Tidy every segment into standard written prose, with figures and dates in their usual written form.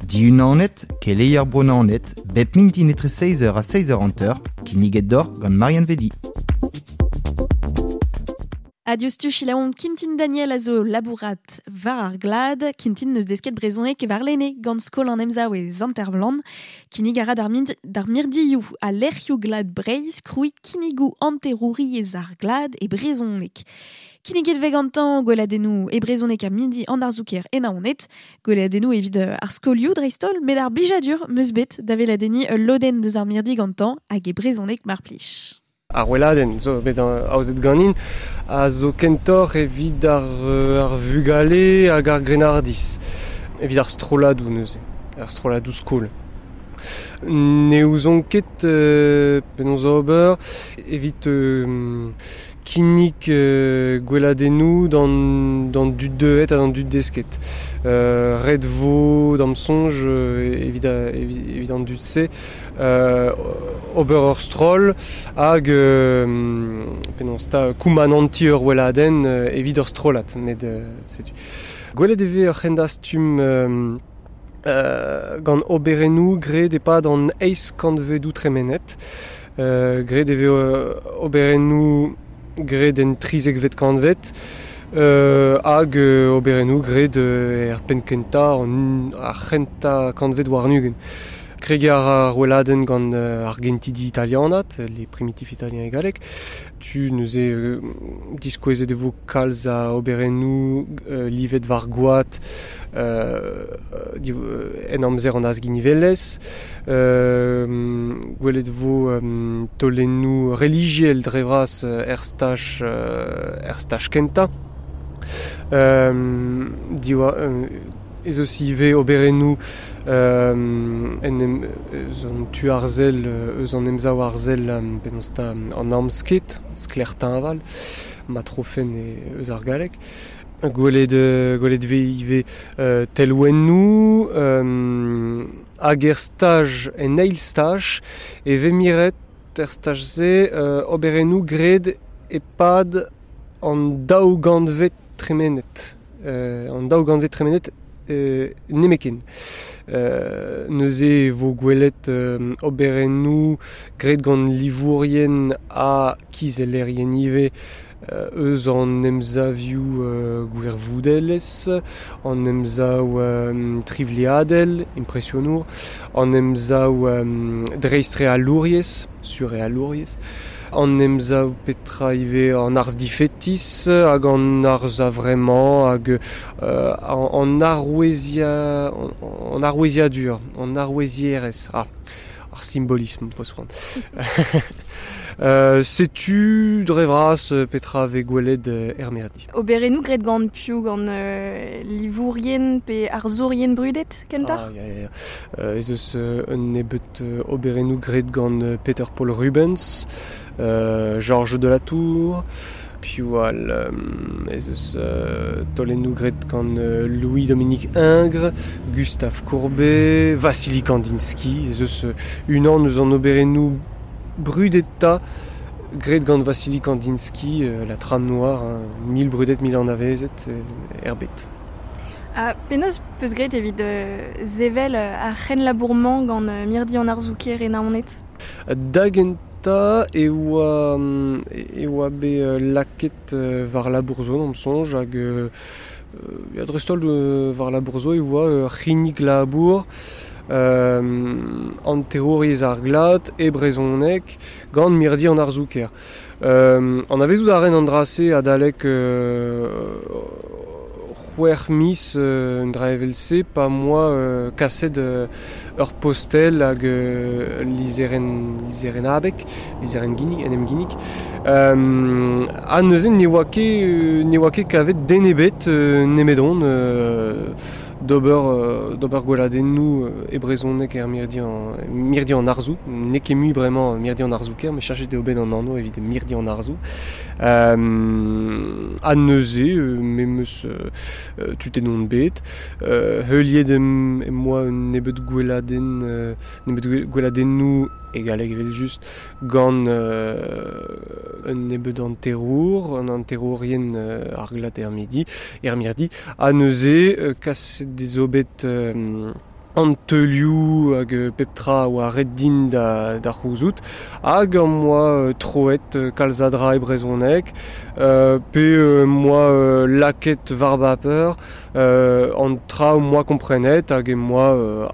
Dihunanet, keleier Bro-Naoned, bep mintin etre seizh eur ha seizh eur hanter, kinniget deoc'h gant Marianne Vedi. Ha diouzhtu selaouomp Kintin Daniel a zo labourat war ar glad. Kintin neus desket brezhoneg warlene gant skol an Emsav e Sant-Ervlan. Kinnig a ra d'ar d'ar mirdioù ha lec'hioù glad Breizh krouiñ kinnigoù hanterouriezh ar glad e brezhoneg. Kinniget vez gantañ gweladennoù e brezhoneg ha midi an arzoù-kêr e Naoned. Gweladennoù evit ar skolioù dreist-holl, met ar blijadur 'm eus bet da weladenniñ ul lodenn deus ar mirdi gantañ hag e brezhoneg mar plij. Ar weladenn zo bet aozet ganin a zo kentoc'h evit ar, ar vugale hag ar grennardiz, evit ar strolladoù neuze, ar strolladoù skol. Ne ouzon ket penaos ober evit kinnig gweladennoù d'an dud deuet ha d'an dud desket. Ret vo d'am soñj evit evit an dud-se ober ur stroll hag penaos 'ta koumanantiñ ur weladenn evit ur strollad met setu. Gwelet e vez ur c'hendastum gant oberennoù graet e-pad an eizh kantvedoù tremenet. Graet e vez oberennoù graet en trizekvet kantved hag oberennoù graet er penn-kentañ ar c'hentañ kantved warn-ugent. Kregiñ a ra ar weladenn gant ar gentidi italianat, les primitifs italiens e galleg. Tu neuze diskouezet e vo kalz a oberennoù livet war goad en amzer an azginivelezh. Gwelet e vo taolennoù relijiel dre vras er staj er staj kentañ. Diwar ez eus ivez oberennoù en em eus an tu arzel eus an emsav arzel penaos 'ta an amsked, sklaer-teñval, ma trofen eus ar galleg. Gwelet gwelet 'vez ivez telwennoù hag er staj en eil staj e vez miret er staj-se oberennoù graet e-pad an daou gantved tremenet. An daou gantved tremenet nemetken. Neuze e vo gwelet oberennoù graet gant livourien ha kizellerien ivez eus an emsavioù gwirvoudelezh, an emsav trivliadel, impresionour, an emsav dreistrealouriezh, surrealouriezh, an emsav petra ivez an arz difetis hag an arz a-vremañ hag an arouezia an aroueziadur, an arouezierezh. Ah, ar simbolism 'peus c'hoant. Setu dre vras petra 'vez gwelet er mirdi. Oberennoù graet gant piv? Gant livourien pe arzourien brudet kentoc'h? Ah, ya, ya, ya. Ez eus un nebeud oberennoù graet gant Peter Paul Rubens, Georges de la Tour, piv all ez eus taolennoù graet gant Louis-Dominique Ingres, Gustave Courbet, Vassili Kandinsky. Ez eus unan eus an oberennoù brudetañ graet gant Vassili Kandinsky, La Trame Noire, hein, mil brudet, mil anavezet er bed. Ha penaos 'peus graet evit sevel ar c'henlabour-mañ gant mirdi an arzoù-kêr e Naoned? Da gentañ e oa e oa bet lakaet war labour zo d'am soñj hag ya dreist-holl war labour zo e oa ur c'hinnig labour hanterouriezh ar glad e brezhoneg gant mirdi an arzoù-kêr. Anavezout a ren an dra-se adalek c'hwec'h miz un dra evel-se pa 'm boa kaset ur postel hag ul lizherenn lizherenn abeg, lizherenn ginnig, en em ginnig. Ha neuze ne oa ket ne oa ket kavet den ebet nemedon d'ober d'ober gweladennoù e brezhoneg er mirdi an mirdi an arzoù. N'eo ket mui bremañ mirdi an arzoù-kêr, met cheñchet eo bet an anv evit mirdi an arzoù. Ha neuze me 'm eus tutet on bet. Heuliet em boa un nebeud gweladenn nebeud gweladennoù e galleg evel-just gant un nebeud hanterour, an hanterourien ar glad er midi, er mirdi. Ha neuze kaset ez eo bet An teulioù hag pep tra oa ret din da c'houzout hag am boa troet kalz a dra e brezhoneg pe em boa lakaet war baper an tra am boa komprenet hag em boa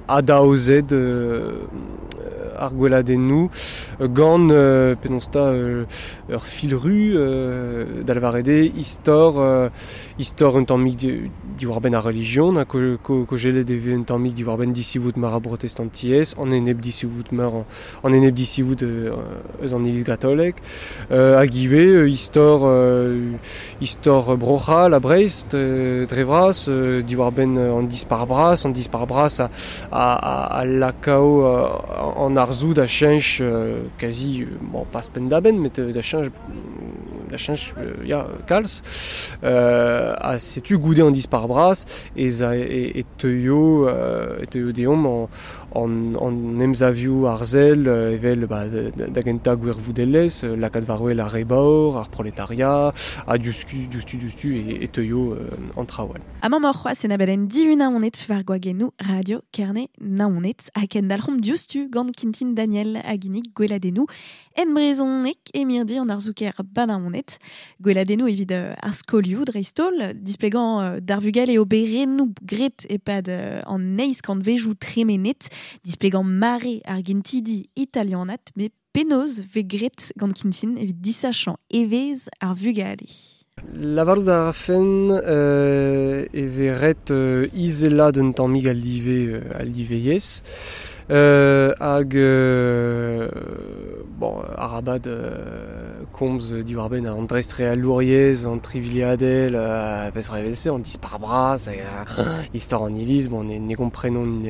adaozet ar gweladennoù gant penaos 'ta ur fil ru da lavaret eo istor istor un tammig diwar-benn ar relijion ha kojelet e vez un tammig diwar-benn disivoud meur a brotestantiezh, an enep disivoud meur an enep disivoud eus an Iliz gatolek, hag ivez istor istor Bro-C'hall ha Breizh dre vras, diwar-benn an dispac'h bras, an dispac'h bras a lakao an arzoù da cheñch kazi, bon pas penn-da-benn, met da cheñch da cheñch ya kalz. Ha setu goude an dispac'h bras ez a e teuio e teuio deomp an emsavioù arzel evel ba, da gentañ gwirvoudelezh, lakaat war-wel ar re baour, ar proletariat, ha diouzhtu diouzhtu diouzhtu e teuio an traoù all. Amañ emaoc'h c'hoazh en abadenn Dihun Naoned war gwagennoù Radio Kerne Naoned ha kendalc'homp diouzhtu gant Kintin Daniel a ginnig gweladennoù en brezhoneg e mirdi an arzoù-kaer ba Naoned. Gweladennoù evit ar skolioù dreist-holl, displegañ d'ar vugale oberennoù graet e-pad an eizh kantvejoù tremenet, displegañ mare ar gentidi italianat, met penaos 'vez graet gant Kintin evit disachañ evezh ar vugale? Lavarout a rafen e vez ret izelaat un tammig al live al live yezh hag bon arabat komz diwar-benn an dreistrealouriezh, an trivliadel, petra evel-se, an dispac'h bras, istor an iliz, bon ne gomprenont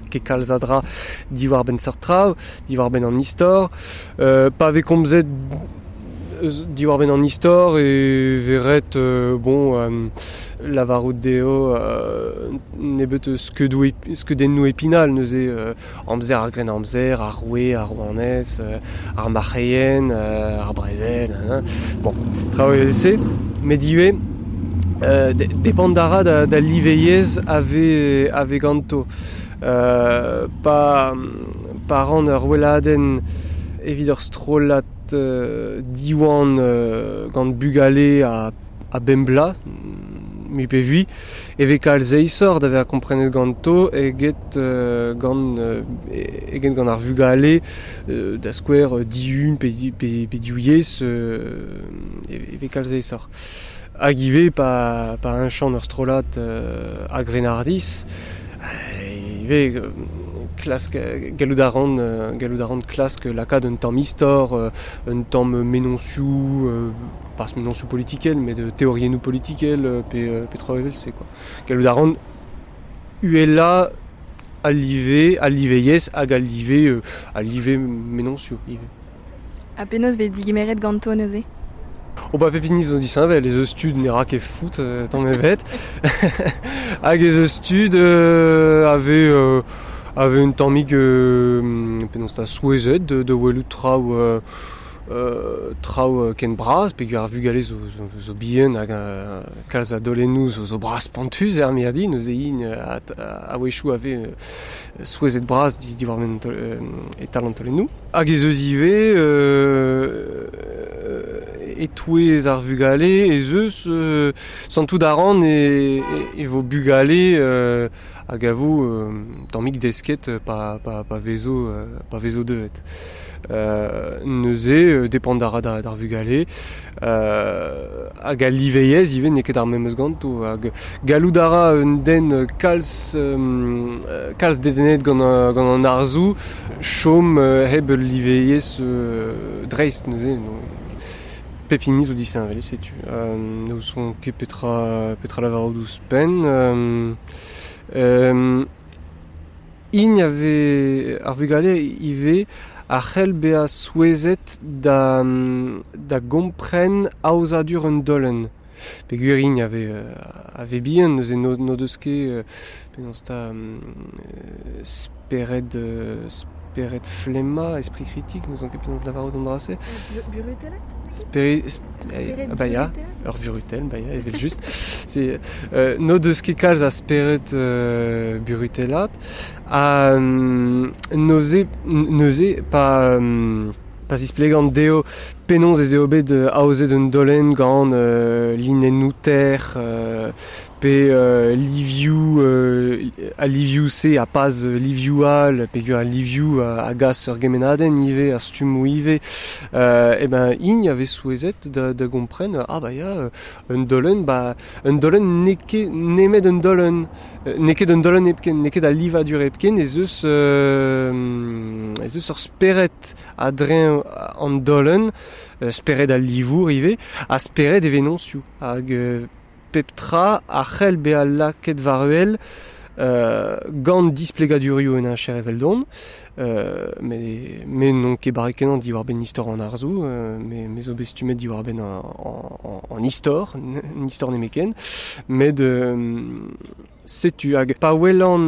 ket kalz a dra diwar-benn seurt traoù, diwar-benn an istor. Pa vez komzet eus diwar-benn an istor e vez ret bon lavarout dezho nebeut skeudoù skeudennoù epinal neuze amzer ar Grennamzer, ar roue, ar rouanez, ar marc'heien, ar brezel, bon traoù evel-se. Met ivez depend a ra da live yezh a vez ganto. Pa pa ran ur weladenn evit ur strollad Diwan gant bugale a bemp bloaz, mui pe vui, e vez kalz aesoc'h da vezañ komprenet ganto eget gant eget gant ar vugale da skouer dihun pe pe div yezh e vez kalz aesoc'h. Hag ivez pa pa heñchan ur strollad a grennardiz ivez klask gallout a ran gallout a ran klask lakaat un tamm istor, un tamm mennozhioù, pas mennozhioù politikel met teoriennoù politikel pe pe traoù evel-se quoi. Gallout a ran uhelañ al live, al live yezh hag al live al live mennozhioù ivez. Ha penaos 'vez digemeret ganto neuze? Oh ba pep hini zo disheñvel, ez eus tud ne ra ket foot tamm ebet. Hag ez eus tud a vez a vez un tammig penaos 'ta souezhet da welout traoù traoù ken bras peogwir ar vugale zo zo bihan hag kalz a daolennoù zo bras-spontus er mirdi neuze int a-wechoù a vez souezhet bras diwar-benn e-tal an taolennoù. Hag ez eus ivez e-touez ar vugale ez eus santout a ran e vo bugale hag a vo tammig desket pa pa vezo pa vezo deuet. Neuze depend a ra d'ar vugale hag al live-yezh ivez n'eo ket ar memes ganto hag gallout a ra un den kalz kalz dedennet gant gant an arzoù chom hep ul live-yezh dreist neuze. Pep hini zo disheñvel, setu. N'ouzon ket petra petra lavarout ouzhpenn. Int a vez ar vugale ivez a c'hell bezañ souezhet da da gompren aozadur un daolenn. Peogwir int a vez a vez bihan neuze n'o deus ket penaos 'ta spered Spered flemma, esprit critique, nous on ket penaos lavarout an dra-se. Burutellat? Spered ba ya, ur vurutel, ba ya, evel just. C'est no deus ket kalz a spered burutellat, ha neuze pa pa zisplegan dezho penaos ez eo bet aozet un dolenn gant linennoù ter pe livioù a livioù-se a pas livioù all peogwir al livioù a gas ur gemennadenn ivez ar stummoù ivez e ben int a vez souezhet da gompren ah ba ya un dolenn ba un dolenn n'eo ket nemet un dolenn n'eo ket un dolenn hepken n'eo ket al livadur hepken ez eus ez eus ur spered a-dreñv an dolenn spered al livour ivez ha spered e vennozhioù hag pep tra a c'hell bezañ lakaet war-wel gant displegadurioù un heñcher eveldon met me n'on ket barrek-kenañ diwar-benn istor an arzoù me zo bet stummet diwar-benn an istor, an istor nemetken met setu hag pa welan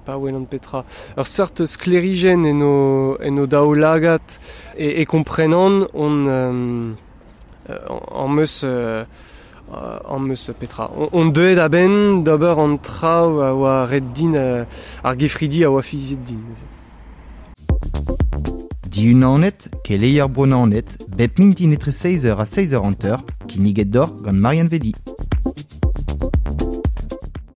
pa welan petra ur seurt sklêrijenn en o en o daoulagad e komprenan on am eus am eus petra on deuet a-benn d'ober an traoù a oa ret din ar gefridi a oa fiziet din neuze. Diunanet, keleier Bro Naoned, bep mintin etre 6h ha 6h hanter, kinniget deoc'h gant Marianne Vedi.